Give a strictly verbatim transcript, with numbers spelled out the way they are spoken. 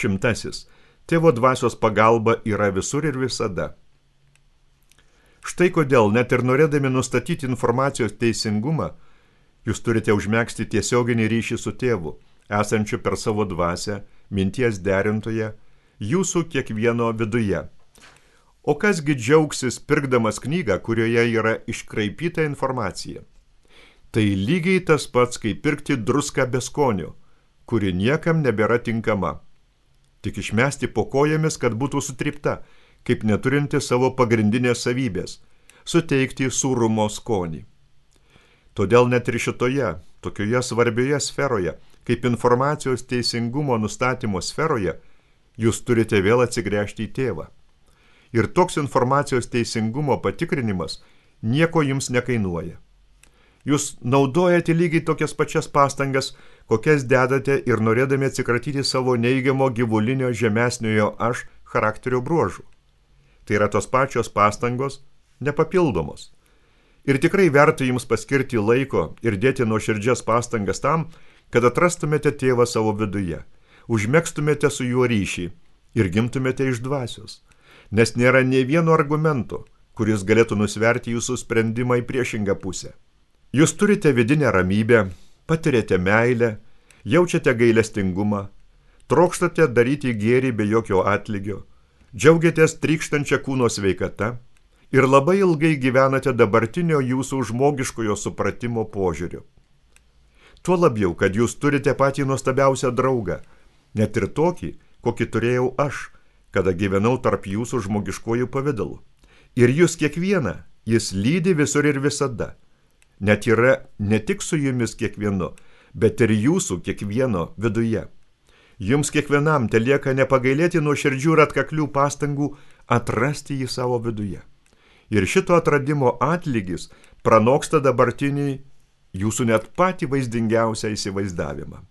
Šimtasis. Tėvo dvasios pagalba yra visur ir visada. Štai kodėl, net ir norėdami nustatyti informacijos teisingumą, jūs turite užmegzti tiesioginį ryšį su tėvu, esančiu per savo dvasią, minties derintoje, jūsų kiekvieno viduje. O kasgi džiaugsis pirkdamas knygą, kurioje yra iškraipyta informacija? Tai lygiai tas pats, kaip pirkti druską be skonio, kuri niekam nebėra tinkama. Tik išmesti po kojomis, kad būtų sutrypta, kaip neturinti savo pagrindinės savybės – suteikti sūrumo skonį. Todėl net ir šitoje, tokioje svarbioje sferoje, kaip informacijos teisingumo nustatymo sferoje, jūs turite vėl atsigręžti į tėvą. Ir toks informacijos teisingumo patikrinimas nieko jums nekainuoja. Jūs naudojate lygiai tokias pačias pastangas, kokias dedate ir norėdami atsikratyti savo neigiamo gyvulinio žemesniojo aš charakterio bruožų. Tai yra tos pačios pastangos, nepapildomos. Ir tikrai verta jums paskirti laiko ir dėti nuoširdžias pastangas tam, kad atrastumėte tėvą savo viduje, užmegztumėte su juo ryšį ir gimtumėte iš dvasios, nes nėra nė vieno argumento, kuris galėtų nusverti jūsų sprendimą į priešingą pusę. Jūs turite vidinę ramybę, patiriate meilę, jaučiate gailestingumą, trokštate daryti gėrį be jokio atlygio, džiaugiatės trykštančia kūno sveikata ir labai ilgai gyvenate dabartinio jūsų žmogiškojo supratimo požiūriu. Tuo labiau, kad jūs turite patį nuostabiausią draugą, net ir tokį, kokį turėjau aš, kada gyvenau tarp jūsų žmogiškojų pavidalų. Ir jūs kiekvieną, jis lydi visur ir visada. Net yra ne tik su jumis kiekvienu, bet ir jūsų kiekvieno viduje. Jums kiekvienam telieka nepagailėti nuoširdžių ir atkaklių pastangų atrasti jį savo viduje. Ir šito atradimo atlygis pranoksta dabartinį jūsų net patį vaizdingiausią įsivaizdavimą.